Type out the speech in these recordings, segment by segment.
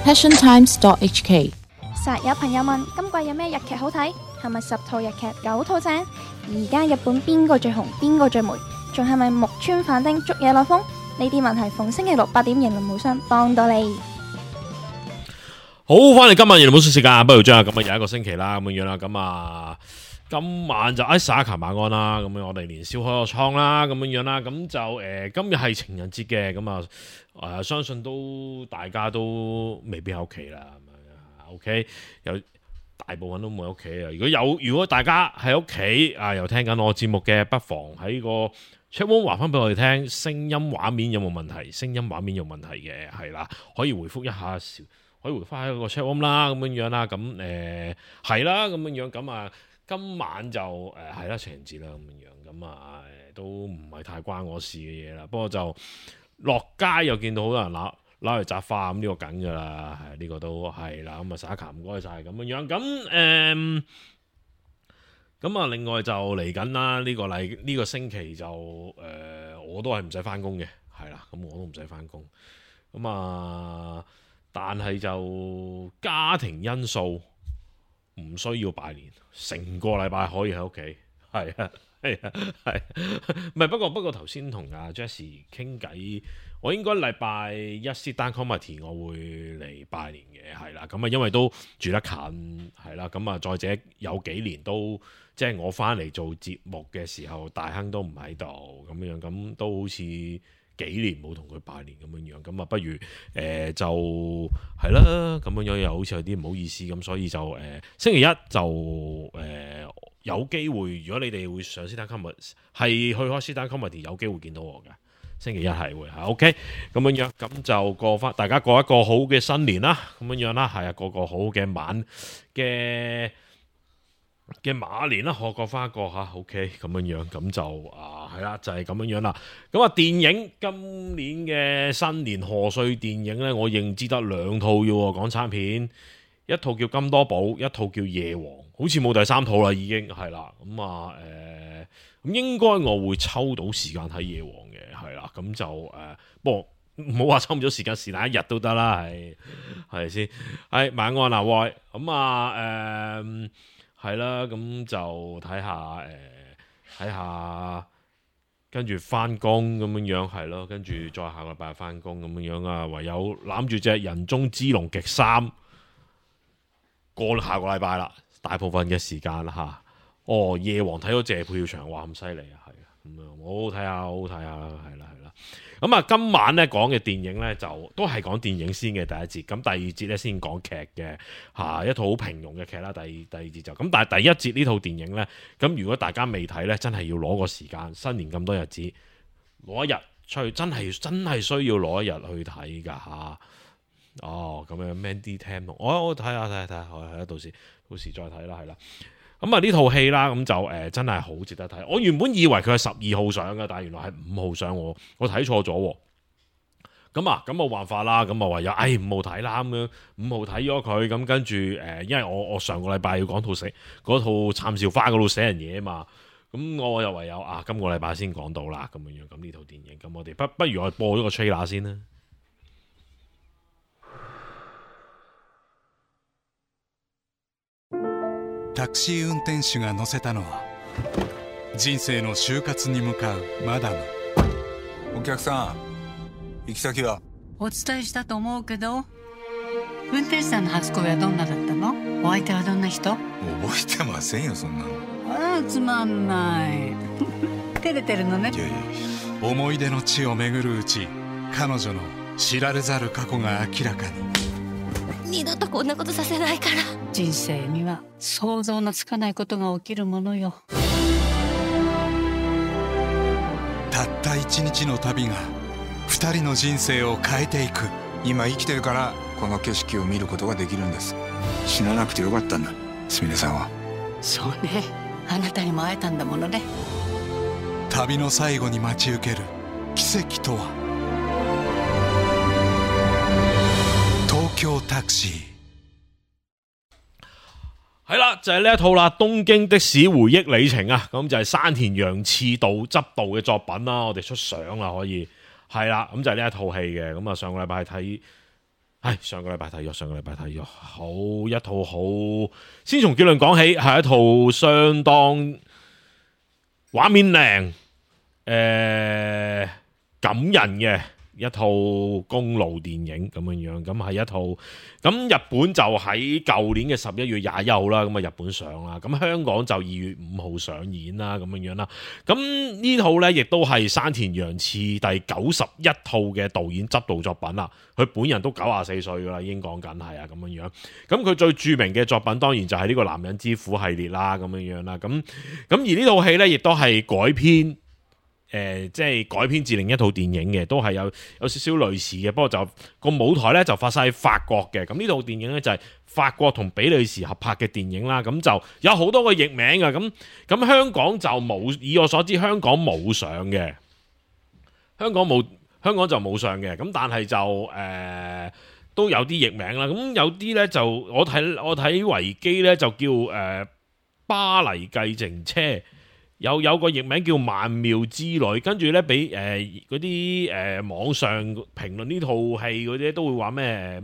passiontimes.hk。實有朋友問今季有咩日劇好睇？係咪10套日劇9套正？而家日本邊個最紅？邊個最霉？仲係咪木村反町捉野內風？呢啲問題逢星期六8點迎龍無雙幫到你。好，翻嚟今晚迎龍無雙時間，不如將咁啊又一個星期啦，咁樣啦，咁啊今晚就沙琴晚安啦，咁樣我哋年宵開個倉啦，咁樣啦，咁就今日係情人節嘅，咁啊相信都大家都未必喺屋企啦，咁樣 OK 有。大部分都冇喺屋企啊！如果大家喺屋企啊，又聽緊我節目嘅，不妨喺個 chat room 話翻俾我哋聽，聲音畫面有冇問題？聲音畫面有問題嘅係啦，可以回覆一下，可以回翻喺個 chat room 啦，咁樣啦，咁係啦，咁樣咁啊，今晚就係啦情人節啦，咁樣咁啊都唔係太關我事嘅嘢啦，不過就落街又見到好多人攞嚟摘花咁，呢個梗噶啦，係呢個都係啦。咁啊，撒卡唔該晒咁樣咁啊，另外就嚟緊啦。呢個星期就我都係唔使翻工嘅，係啦。咁我都唔使翻工。咁啊，但係就家庭因素唔需要拜年，成個禮拜可以喺屋企，係啊，係唔係？不過頭先同阿 Jessie 傾偈。我應該禮拜一 sit down comedy 我會嚟拜年嘅，係啦，咁啊因為都住得近，係啦，咁啊再者有幾年都即係我翻嚟做節目嘅時候，大亨都唔喺度，咁樣咁都好似幾年冇同佢拜年咁樣，咁啊不如就係啦，咁樣又好似有啲唔好意思，咁所以就星期一就有機會，如果你哋會上 sit down comedy 係去開 sit down comedy 有機會見到我嘅。星期一係會係 OK 咁樣，咁就大家過一個好嘅新年啦，咁樣啦，係啊，過個好嘅嘅馬年啦，我過翻一個吓 OK 咁樣，咁就係啦，就係咁樣啦。咁啊，電影今年嘅新年賀歲電影呢，我認知得2套嘅港產片，一套叫金多寶，一套叫夜王，好似冇第3套啦，已經係啦。咁啊咁應該我會抽到時間睇夜王嘅，係啦，咁就不過唔好話抽唔咗時間，是但一日都得啦，係先，係晚安啊，喂，咁啊係啦，咁就睇下，跟住翻工咁樣係咯，跟住再下個禮拜翻工咁樣啊，唯有攬住隻人中之龍極3過下個禮拜啦，大部分嘅時間啦嚇。夜王睇咗謝票場，哇咁犀利啊，係啊，咁樣好好睇下啦，係啦。咁啊，今晚咧講嘅電影咧就都係講電影先嘅第一節，咁第二節咧先講劇嘅嚇，一套好平庸嘅劇啦。第二節就咁，但係第一節呢套電影咧，咁如果大家未睇咧，真係要攞個時間，新年咁多日子，攞一日出去，真係需要攞一日去睇㗎嚇。咁樣 Mandy Tam， 我睇下，係啊，到時再睇啦，係啦。咁啊呢套戲啦，咁就真係好值得睇。我原本以為佢係12號上嘅，但係原來係5號上，我睇錯咗。咁冇辦法啦，咁啊唯有5號睇啦，咁樣5號睇咗佢，咁跟住因為我上個禮拜要講嗰套杉咲花嗰度寫人嘢啊嘛，咁我又唯有今個禮拜先講到啦，咁樣咁呢套電影，咁我哋不如我播咗個 trailer 先啦。タクシー運転手が乗せたのは人生の就活に向かうマダム。お客さん、行き先は？お伝えしたと思うけど、運転手さんの初恋はどんなだったの？お相手はどんな人？覚えてませんよ、そんなの。つまんない照れてるのね。いや思い出の地を巡るうち、彼女の知られざる過去が明らかに。二度とこんなことさせないから。人生には想像のつかないことが起きるものよ。たった一日の旅が二人の人生を変えていく。今生きてるからこの景色を見ることができるんです。死ななくてよかったんだ、すみれさんは。そうね、あなたにも会えたんだものね。旅の最後に待ち受ける奇跡とは。東京タクシー。係啦，就係呢一套啦，《東京的士回憶里程》啊，咁就係山田洋次導執導嘅作品啦。我哋出相啦，可以係啦，咁就係呢一套戲嘅。咁啊，上個禮拜係睇係上個禮拜睇咗好一套好，先從結論講起，係一套相當畫面靚、感人嘅一套公路電影咁樣，咁係一套，咁日本就喺舊年嘅11月21號啦，咁啊日本上啦，咁香港就2月5號上演啦，咁樣啦，咁呢套呢，亦都係山田洋次第91套嘅導演執導作品啦，佢本人都94歲噶啦，已經講緊係啊咁樣，咁佢最著名嘅作品當然就係呢個男人之苦系列啦，咁樣啦，咁而呢套戲呢，亦都係改編。即係改編自另一套電影嘅，都係有少少類似嘅，不過就個舞台呢，就發生喺法國嘅。咁呢套電影呢，就係法國同比利時合拍嘅電影啦。咁就有好多個譯名嘅。咁香港就冇，以我所知香港冇上嘅，香港就冇上嘅。咁但係就都有啲譯名啦。咁有啲呢，就我睇維基呢，就叫巴黎計程車。有個譯名叫曼妙之旅，跟住咧俾嗰啲網上評論呢套戲嗰啲都會話咩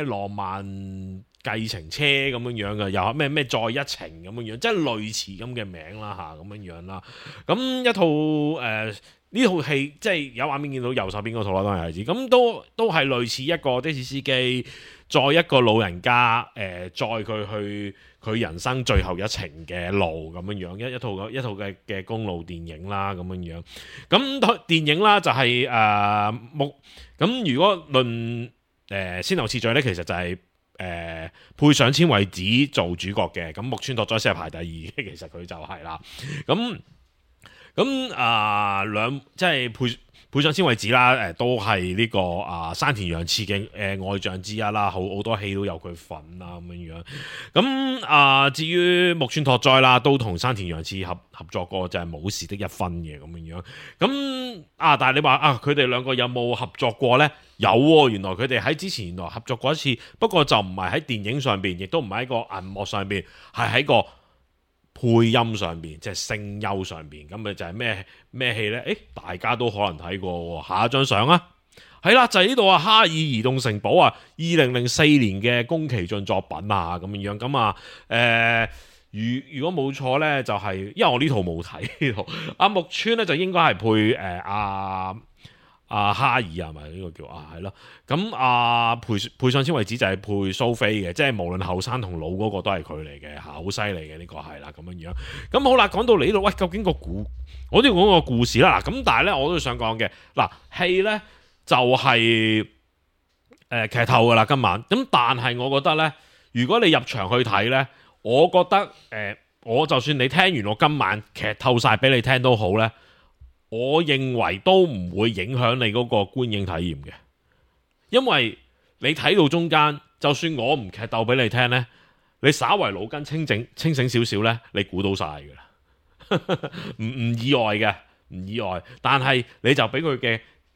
浪漫計程車咁樣嘅，又咩再一程咁樣，即係類似咁嘅名啦嚇咁樣啦。咁一套呢套戲即係有畫面見到右手邊嗰套啦，當然係指咁都係類似一個的士司機載一個老人家載佢去佢人生最後一程嘅路咁樣，一套嘅公路電影啦咁樣。咁電影啦就係咁如果論先後次序咧，其實就係配上千惠子做主角嘅，咁木村拓哉先係排第二嘅，其實佢就係啦。咁即係配上千惠子啦，都係呢個山田洋次嘅愛將之一啦，好多戲都有佢份啦咁樣。咁至於木村拓哉啦，都同山田洋次合作過，就係冇事的一分嘅咁樣。咁但係你話佢哋兩個有冇合作過呢？有喎，原來佢哋喺之前原來合作過一次，不過就唔係喺電影上邊，亦都唔係喺個銀幕上邊，係喺個配音上邊，即係聲優上邊。咁咪就係咩戲呢？大家都可能睇過喎。下一張相啊，係啦，就係呢度啊，《哈爾移動城堡》啊，2004年嘅宮崎駿作品啊，咁樣咁如果冇錯呢，就係因為我呢套冇睇呢套，木村呢，就應該係配哈爾係咪呢個叫係咯？咁配上千惠子就係配蘇菲嘅，即係無論後生同老嗰個都係佢嚟嘅，好犀利嘅呢個係啦咁樣。咁好啦，講到嚟呢度，喂，究竟我都要講個故事啦。嗱，咁但係咧，我都想講嘅嗱，戲咧就係劇透噶啦今晚。咁但係我覺得咧，如果你入場去睇咧，我覺得我就算你聽完我今晚劇透晒俾你聽都好咧。我認為都唔會影響你嗰個觀影體驗嘅，因為你睇到中間，就算我唔劇透俾你聽呢，你稍為腦筋清醒少少呢，你估到晒㗎啦，唔意外嘅，唔意外。但係你就俾佢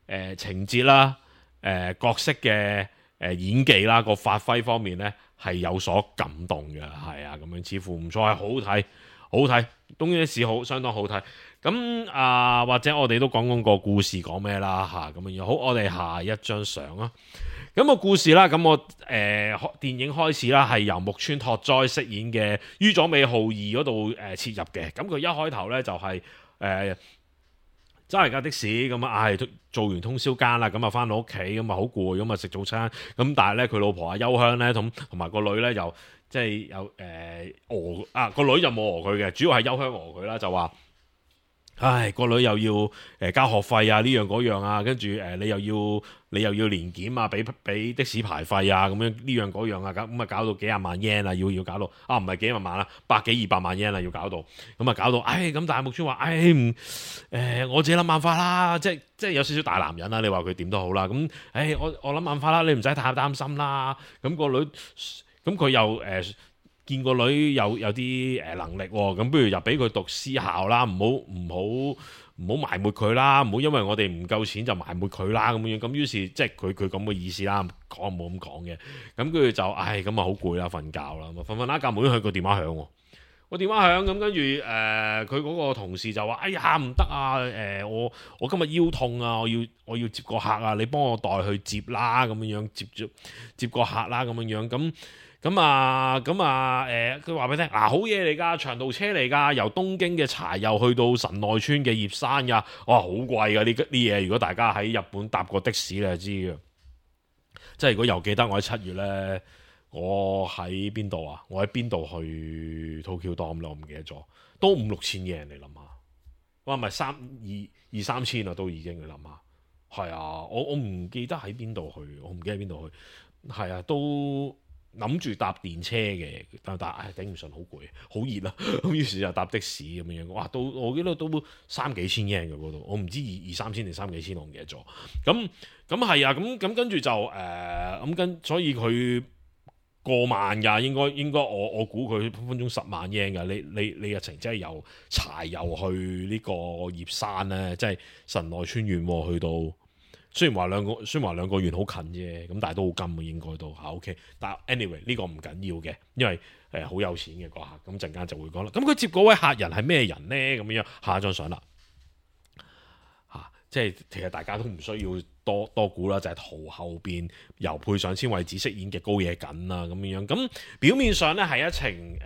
嘅情節啦、角色嘅演技啦、個發揮方面呢，係有所感動嘅，係啊，咁樣似乎唔錯，係好睇，好睇，東京的士相當好睇。咁或者我哋都講個故事講咩啦嚇咁樣。好，我哋下一張相啊。咁個故事啦，咁我電影開始啦，係由木村拓哉飾演嘅於佐美浩二嗰度切入嘅。咁佢一開頭咧就係揸嚟架的士咁做完通宵更啦，咁翻到屋企咁好攰，咁食早餐。咁但係咧佢老婆幽香咧同埋個女咧又即係有個女就冇佢嘅，主要係幽香佢啦，就話。個女又要交學費啊，呢樣嗰樣啊，跟住你又要年檢啊，俾的士牌費啊，咁樣呢樣嗰樣啊，咁搞到幾廿萬 yen 啊，要搞到唔係幾廿萬啦，100幾200萬 yen 啊，要搞到咁搞到咁但係木村話我自己諗辦法啦，即係有少少大男人啦，你話佢點都好啦，咁我諗辦法啦，你唔使太擔心啦，咁個女咁佢又見個女有啲能力喎，咁不如又俾佢讀私校啦，唔好埋沒佢啦，唔好因為我哋唔夠錢就埋沒佢啦咁樣。咁於是即係佢咁嘅意思啦，講冇咁講嘅。咁跟住就咁好攰啦，瞓覺啦，瞓下覺，冇咗佢個電話響喎。個電話響咁，跟住佢嗰個同事就話：哎呀唔得啊！我今日腰痛啊，我要接個客啊，你幫我代去接啦咁樣接個客啦咁樣佢話俾你聽好嘢嚟㗎，長途車嚟㗎，由東京嘅柴又去到神奈川嘅葉山㗎，哇好貴㗎呢啲嘢，如果大家喺日本搭過的士你就知嘅。即係如果又記得我喺7月呢。我喺邊度啊？我喺邊度去 Tokyo Dome 咯？我唔記得咗，都5-6千嘢，你諗下，哇，唔係2-3千啊，都已經你諗下，係啊，我唔記得喺邊度去，我唔記得喺邊度去，係啊，都諗住搭電車嘅，但係頂唔順，好攰，好熱啊，咁於是就搭的士咁樣，哇，我記得都3幾千嘢嘅嗰度，我唔知2-3千定3幾千，我唔記得咗，咁係啊，咁跟住就所以佢。過萬㗎，應該我估佢分分鐘10萬日圓㗎。你日程真係由柴油去呢個葉山咧，即係神奈川縣去到。雖然話兩個縣好近啫，咁但係都好金嘅應該都嚇 OK。但係 anyway 呢個唔緊要嘅，因為好有錢嘅個客。咁陣間就會講啦。咁佢接嗰位客人係咩人咧？咁樣下一張相啦。即係其實大家都唔需要多估啦，就係圖後邊由配上千惠子飾演嘅高野緊啦咁樣。咁表面上咧係一程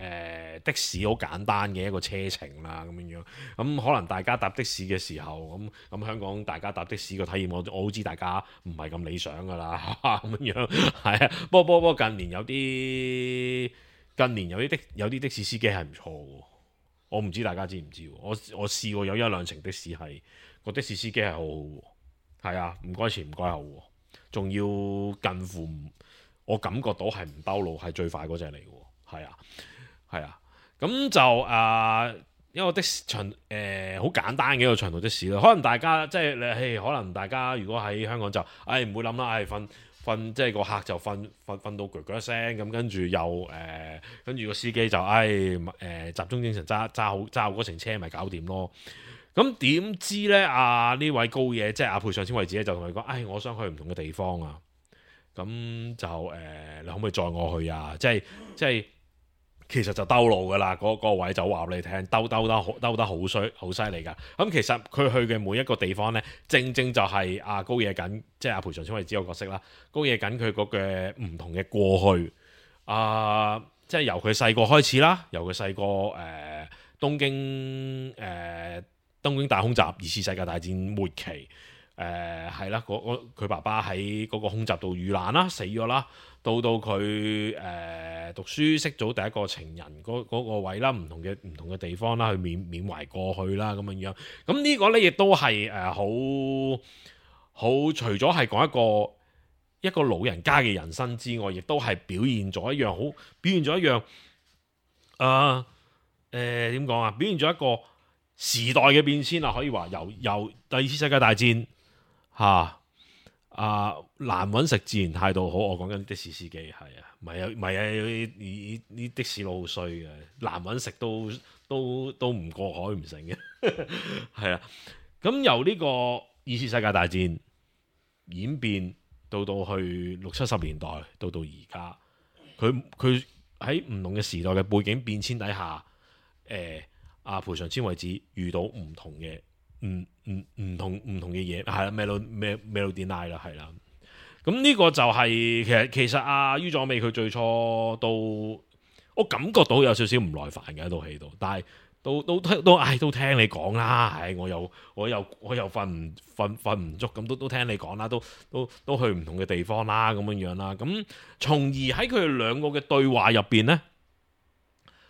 的士好簡單嘅一個車程啦咁樣。咁可能大家搭的士嘅時候，咁香港大家搭的士嘅體驗，我都知大家唔係咁理想噶啦咁樣。係啊，不過近年有啲的士司機係唔錯嘅。我唔知大家知唔知？我試過有1-2程的士係。個的士司機係好好，係啊，唔該前唔該後，仲要近乎我感覺到係唔兜路，係最快嗰隻嚟嘅，係啊，咁就一個的士好簡單嘅一個長途的士啦。可能大家即係可能大家如果喺香港就唔會諗啦，瞓即係個客就瞓到鋸鋸聲咁，跟住又跟住個司機就集中精神揸好嗰程車咪搞掂咯。咁點知咧？呢位高野即係配上千惠子咧，就同佢講：我想去唔同嘅地方啊！咁就你可唔可以載我去啊？即係其實就兜路噶啦，嗰個位就話俾你聽，兜得好犀利噶。咁其實佢去嘅每一個地方咧，正就係高野緊，即係配上千惠子個角色啦。高野緊佢嗰個唔同嘅過去即係由佢細個開始啦，由佢細個東京大空襲2次世界大戰末期，係啦，佢爸爸喺嗰個空襲度遇難啦，死咗啦。到佢讀書識咗第一個情人嗰個位啦，唔同嘅地方啦，去緬懷過去啦咁樣。咁呢個咧亦都係好除咗係講一個老人家嘅人生之外，亦都係表現咗一樣點講啊？表現咗一個時代嘅變遷啊，可以話由第2次世界大戰難揾食自然態度好。我講緊的士司機係啊，唔係啲的士佬好衰嘅，難揾食都唔過海唔成嘅，係啊。咁由呢個2次世界大戰演變到去60-70年代，到而家，佢喺唔同嘅時代嘅背景變遷底下，賠償千惠子遇到唔同嘅唔同嘅嘢，係啦，Melody Night 啦，係啦。咁呢個就係其實於佐美佢最初我感覺到有少少唔耐煩嘅喺套戲度，但係都聽你講啦，我又瞓唔足，咁都聽你講啦，都去唔同嘅地方啦，咁樣啦。咁從而喺佢哋兩個嘅對話入邊呢，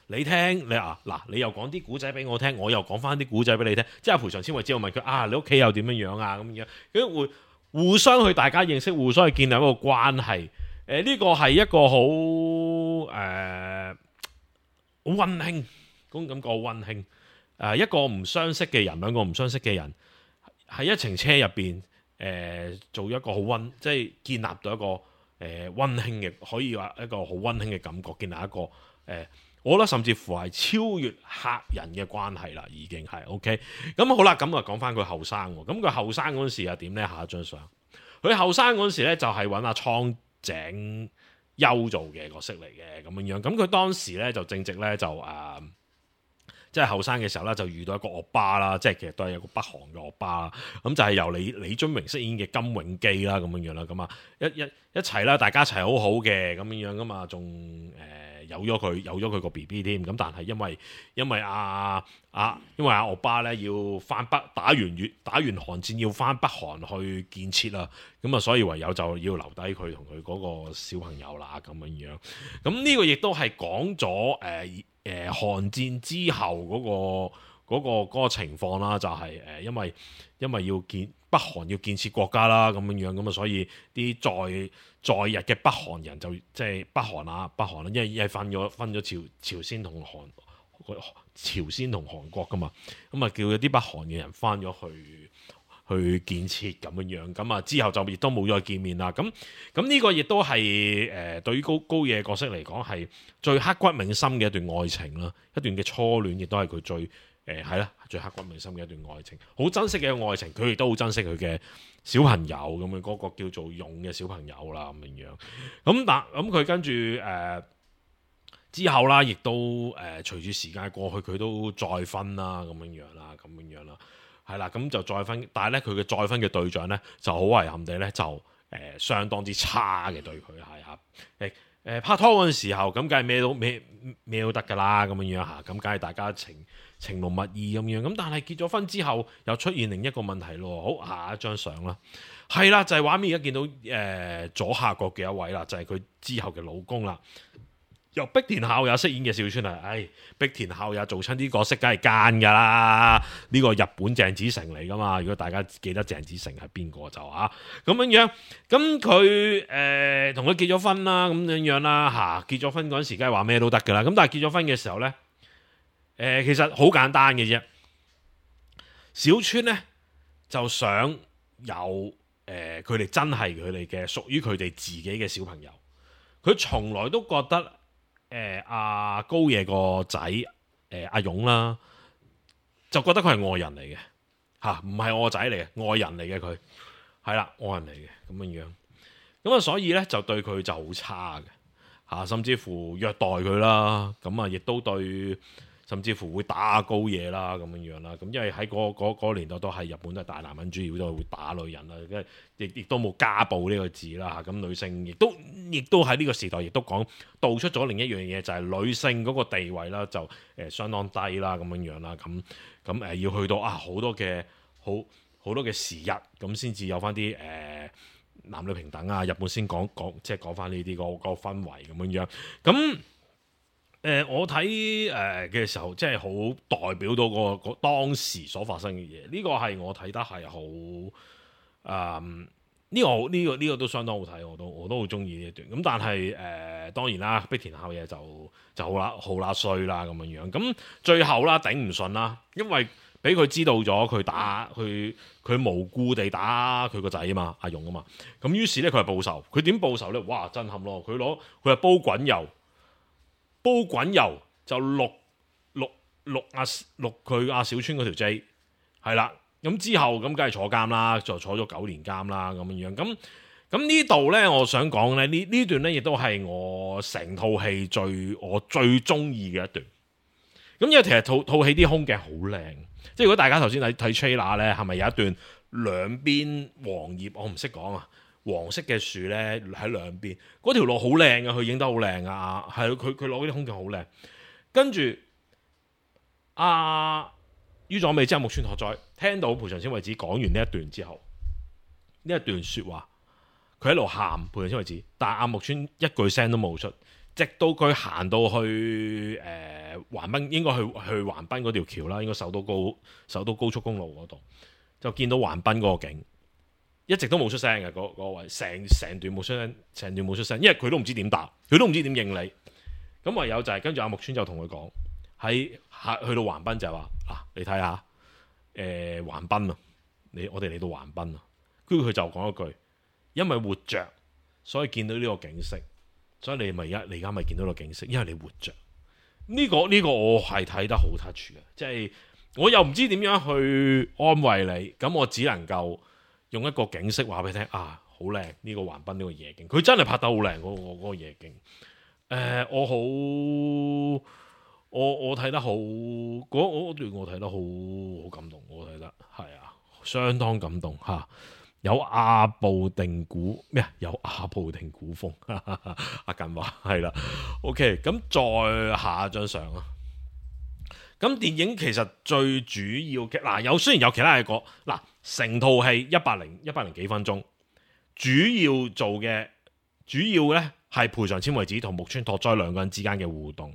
你聽你又講啲古仔俾我聽，我又講翻啲古仔俾你聽，即係賠償千惠子我問佢你屋企又點樣啊咁樣，咁會互相去大家認識，互相去建立一個關係。呢個係一個好溫馨，嗰種感覺好溫馨。一個唔相識嘅人，兩個唔相識嘅人喺一程車入邊，做一個好即係建立到一個溫馨嘅，可以話一個好溫馨嘅感覺，建立一個我覺得甚至乎係超越客人嘅關係啦，已經係 OK。咁好啦，咁啊講翻佢後生喎。咁佢後生嗰陣時係點呢？下一張相，佢後生嗰陣時咧就係揾阿蒼井優做嘅角色嚟嘅咁樣。咁佢當時咧就正值咧就即係後生嘅時候啦，就遇到一個惡霸啦，即係其實都係有個北韓嘅惡霸啦。咁就係由李津榮飾演嘅金永基啦，咁樣樣啦，咁啊一齊啦，大家一齊好好嘅咁樣樣噶嘛，仲有咗佢個 BB 添。咁但係因為阿惡巴咧要翻北打完韓戰要翻北韓去建設啦，咁啊所以唯有就要留低佢同佢嗰個小朋友啦咁樣樣。咁呢個亦都係講咗韓戰之後嗰個情況啦，就係因為要北韓要建設國家啦咁樣樣，咁啊所以啲在日嘅北韓人就即係北韓啦，因為分咗朝鮮同韓國噶嘛，咁啊叫咗啲北韓嘅人翻咗去建設咁樣樣，咁啊之後就亦都冇再見面啦。咁呢個亦都係對於高野角色嚟講係最刻骨銘心嘅一段愛情啦，一段嘅初戀，亦都係佢最最刻骨銘心嘅一段愛情，好珍惜嘅一個愛情。佢亦都好珍惜佢嘅小朋友咁樣，嗰個叫做勇嘅小朋友啦咁樣樣。咁佢跟住之後啦，亦都隨住時間過去，佢都再婚啦咁樣樣啦，係啦，咁就再婚，但係咧佢嘅再婚嘅對象咧就好遺憾地咧就相當之差嘅對佢係拍拖嗰陣時候，咁梗係咩都得㗎啦咁樣樣嚇，咁梗係大家情濃蜜意咁樣，咁但係結咗婚之後又出現另一個問題咯。好，下一張相啦，係啦，就係畫面而家見到左下角嘅一位啦，就係佢之後嘅老公啦。由碧田孝也飾演嘅小川啊，碧田孝也做親啲角色梗係奸噶啦，呢個日本鄭子誠嚟噶嘛。如果大家記得鄭子誠係邊個就咁樣，咁佢同佢結咗婚啦，咁樣啦結咗婚嗰陣時梗係話咩都得噶啦。咁但係結咗婚嘅時候呢，其實好簡單嘅啫。小川呢就想有佢哋真係佢哋嘅屬於佢哋自己嘅小朋友。佢從來都覺得阿高野個仔阿勇啦，就覺得佢係外人嚟嘅唔係我個仔嚟嘅，外人嚟嘅，佢係啦，外人嚟嘅咁樣樣。咁啊，所以咧就對佢就好差嘅甚至乎虐待佢啦。咁啊，亦都對，甚至乎會打高野啦咁樣樣啦。咁因為喺嗰個年代都係日本都係大男人主義，都係會打女人啦。亦都冇家暴呢個字啦。咁女性亦都喺呢個時代亦都道出咗另一樣嘢，就係女性嗰個地位啦，就相當低啦咁樣樣啦。咁要去到好多嘅時日咁先至有翻啲男女平等啊。日本先即係講翻呢啲個氛圍咁樣樣。咁我睇嘅時候，即係好代表到個當時所發生嘅嘢。呢個係我睇得係好呢個都相當好睇，我都好中意呢一段。咁但係當然啦，碧田孝也就好啦衰啦咁樣樣。咁最後啦頂唔順啦，因為俾佢知道咗佢無故地打佢個仔啊嘛，阿勇啊嘛。咁於是咧佢係報仇，佢點報仇咧？哇，震撼咯！佢係煲滾油就淥佢阿小川嗰條 J 係啦。咁之後咁梗係坐監啦，就坐咗9年監啦咁樣樣。咁呢度咧，我想講咧呢段咧，亦都係我成套戲我最中意嘅一段。咁因為其實套戲啲空鏡好靚，即係如果大家頭先睇 trailer 咧，係咪有一段兩邊黃葉？我唔識講啊，黃色嘅樹咧喺兩邊，嗰條路好靚啊，佢影得好靚啊，係佢攞啲空鏡好靚。跟住於佐美之後木村拓哉聽到蒲場先為止講完呢一段之後，呢一段說話佢喺度喊，蒲場先為止，但係木村一句聲都冇出，直到佢行到去橫濱，應該去橫濱嗰條橋啦，應該首都高速公路嗰度，就見到橫濱嗰個景，一直都冇出聲嘅嗰位，成段冇出聲，因為佢都唔知點答，佢都唔知點應你。咁唯有就係跟住木村就同佢講，去到橫濱就係話你睇下橫濱啊，我哋嚟到橫濱啊。跟住佢就講一句，因為活着所以見到呢個景色，所以你而家咪見到個景色，因為你活着。呢個我係睇得好 touch 嘅，即係我又唔知點樣去安慰你，咁我只能夠用一個景色話俾你聽好靚，呢個橫濱呢個夜景，佢真係拍得好靚嗰個夜景。我睇得好嗰段，我睇得好感動，我睇得係啊，相當感動嚇。有阿部定古咩啊？有阿部定古風，阿近話係啦。OK， 咁再下一張相啊。咁電影其實最主要嘅嗱，雖然有其他嘢講嗱，成套戲100幾分鐘，主要咧係賠償千惠子同木村拓哉兩個人之間嘅互動。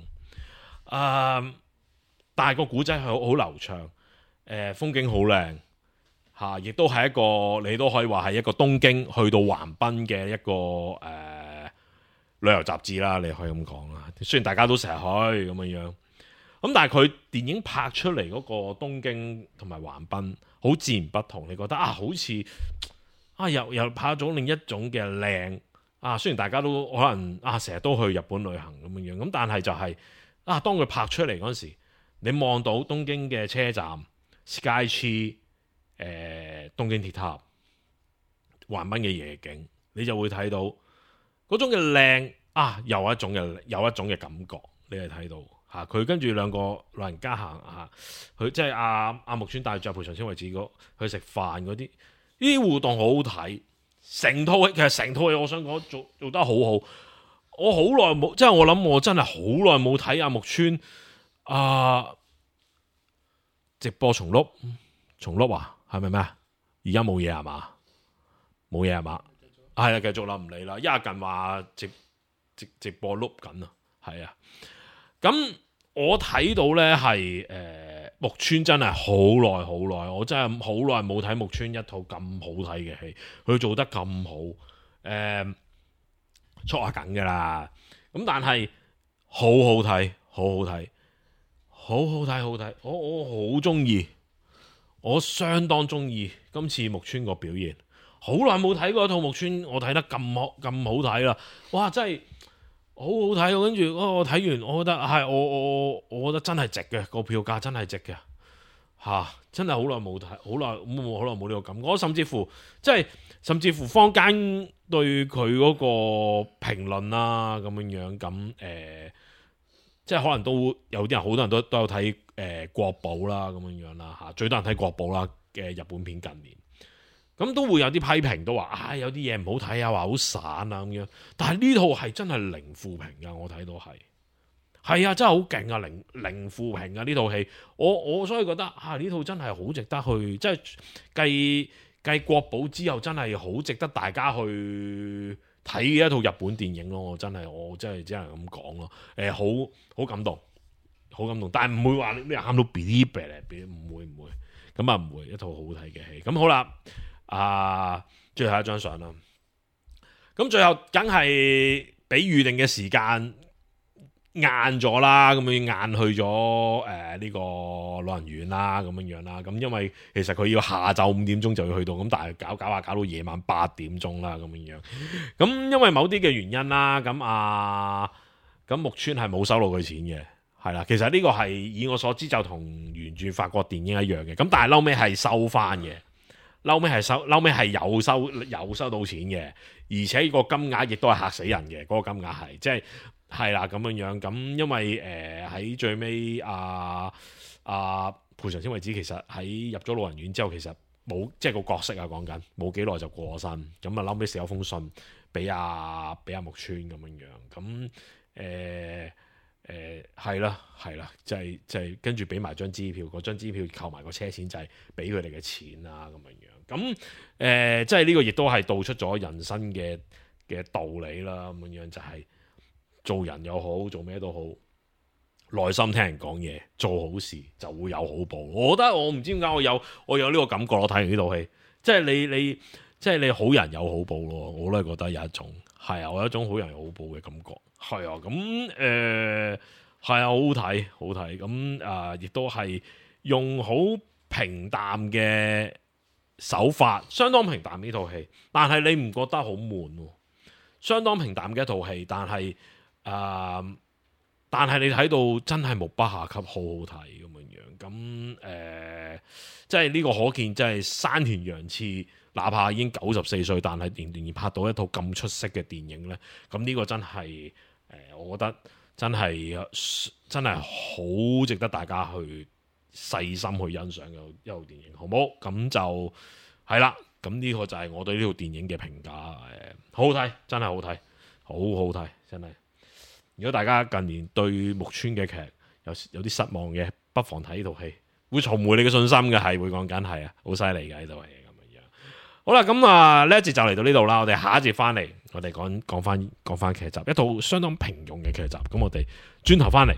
但係個古仔係好流暢，風景好靚嚇，亦都係一個你都可以話係一個東京去到橫濱嘅一個旅遊雜誌啦，你可以咁講啦。雖然大家都成日去咁樣。咁但係佢電影拍出嚟嗰個東京同埋橫濱好自然不同，你覺得好似又拍咗另一種嘅靚雖然大家都可能成日都去日本旅行咁樣，咁但係就係當佢拍出嚟嗰時，你望到東京嘅車站 Skytree 東京鐵塔、橫濱嘅夜景，你就會睇到嗰種嘅靚有一種嘅感覺，你係睇到。佢跟住兩個老人家行佢即係阿木村帶住賠償千惠子去食飯嗰啲，呢啲互動好好睇。成套戲我想講做得好好。我好耐冇，即係我諗我真係好耐冇睇阿木村直播重錄係咪咩啊？而家冇嘢係嘛？冇嘢係嘛？係啦，繼續啦，唔理啦。因為近話直播錄緊啊，係啊。咁我睇到呢係木村真係好耐，我真係好耐冇睇木村一套咁好睇嘅戲，佢做得咁好，出下緊噶啦。咁但係好睇，我好中意，我相當中意今次木村個表現。好耐冇睇過一套木村，我睇得咁好睇啦！哇，真係〜好好睇，跟住我睇完，我覺得係我覺得真係值嘅，個票價真係值嘅真係好耐冇睇，好耐冇呢個感覺。我甚至乎坊間對佢嗰個評論啦咁樣咁即係可能都有啲人，好多人都有睇國寶啦咁樣啦最多人睇國寶啦嘅日本片近年。咁都會有啲批評，都話有啲嘢唔好睇話好散咁樣。但係呢套係真係零負評㗎，我睇到係真係好勁啊！零負評啊！呢套戲，我所以覺得呢套真係好值得去，即係繼國寶之後，真係好值得大家去睇嘅一套日本電影咯。我真係只能咁講咯。好感動，但係唔會話你喊到嗶哩嗶哩，唔會咁啊，唔會一套好睇嘅戲。咁好啦。最後一張相啦，咁最後梗係比預定嘅時間晏咗啦，咁樣晏去咗呢個老人院啦，咁樣啦，咁因為其實佢要下晝5點鐘就要去到，咁但係搞到夜晚8點鐘啦，咁樣，咁因為某啲嘅原因啦，咁木村係冇收到佢錢嘅，係啦，其實呢個係以我所知就同原著法國電影一樣嘅，咁但係後尾係收翻嘅。後尾係有收到錢嘅，而且個金額亦都係嚇死人嘅。嗰個金額係係啦咁樣，咁因為喺最尾賠償千惠子其實喺入咗老人院之後，其實冇即係個角色講緊冇幾耐就過身，咁後尾寫咗封信俾阿木村咁樣，咁係啦，就係跟住俾埋張支票，嗰張支票扣埋個車錢就係俾佢哋嘅錢啊咁樣。咁即係呢個亦都係道出咗人生嘅道理啦，咁樣就係做人又好，做咩都好，耐心聽人講嘢，做好事就會有好報。我覺得我唔知點解我有呢個感覺，我睇完呢套戲，即係你好人有好報咯，我都係覺得有一種我有一種好人有好報嘅感覺，咁好睇，咁亦都係用好平淡嘅手法，相當平淡呢套戲，但係你唔覺得好悶喎？相當平淡嘅一套戲，但係你睇到真係目不暇給，好好睇咁樣。咁即係呢個可見，即係山田洋次，哪怕已經94歲，但係仍然拍到一套咁出色嘅電影呢。咁呢個真係我覺得真係好值得大家去細心去欣賞嘅一套電影，好冇？咁就係啦。咁呢個就係我對呢套電影嘅評價，好好睇，真係好睇，好好睇，真係。如果大家近年對木村嘅劇有啲失望嘅，不妨睇呢套戲，會重回你嘅信心嘅，係會講緊係啊，好犀利嘅呢套戲咁樣。好啦，咁啊呢一節就嚟到呢度啦，我哋下一節翻嚟，我哋講翻劇集，一套相當平庸嘅劇集。咁我哋轉頭翻嚟。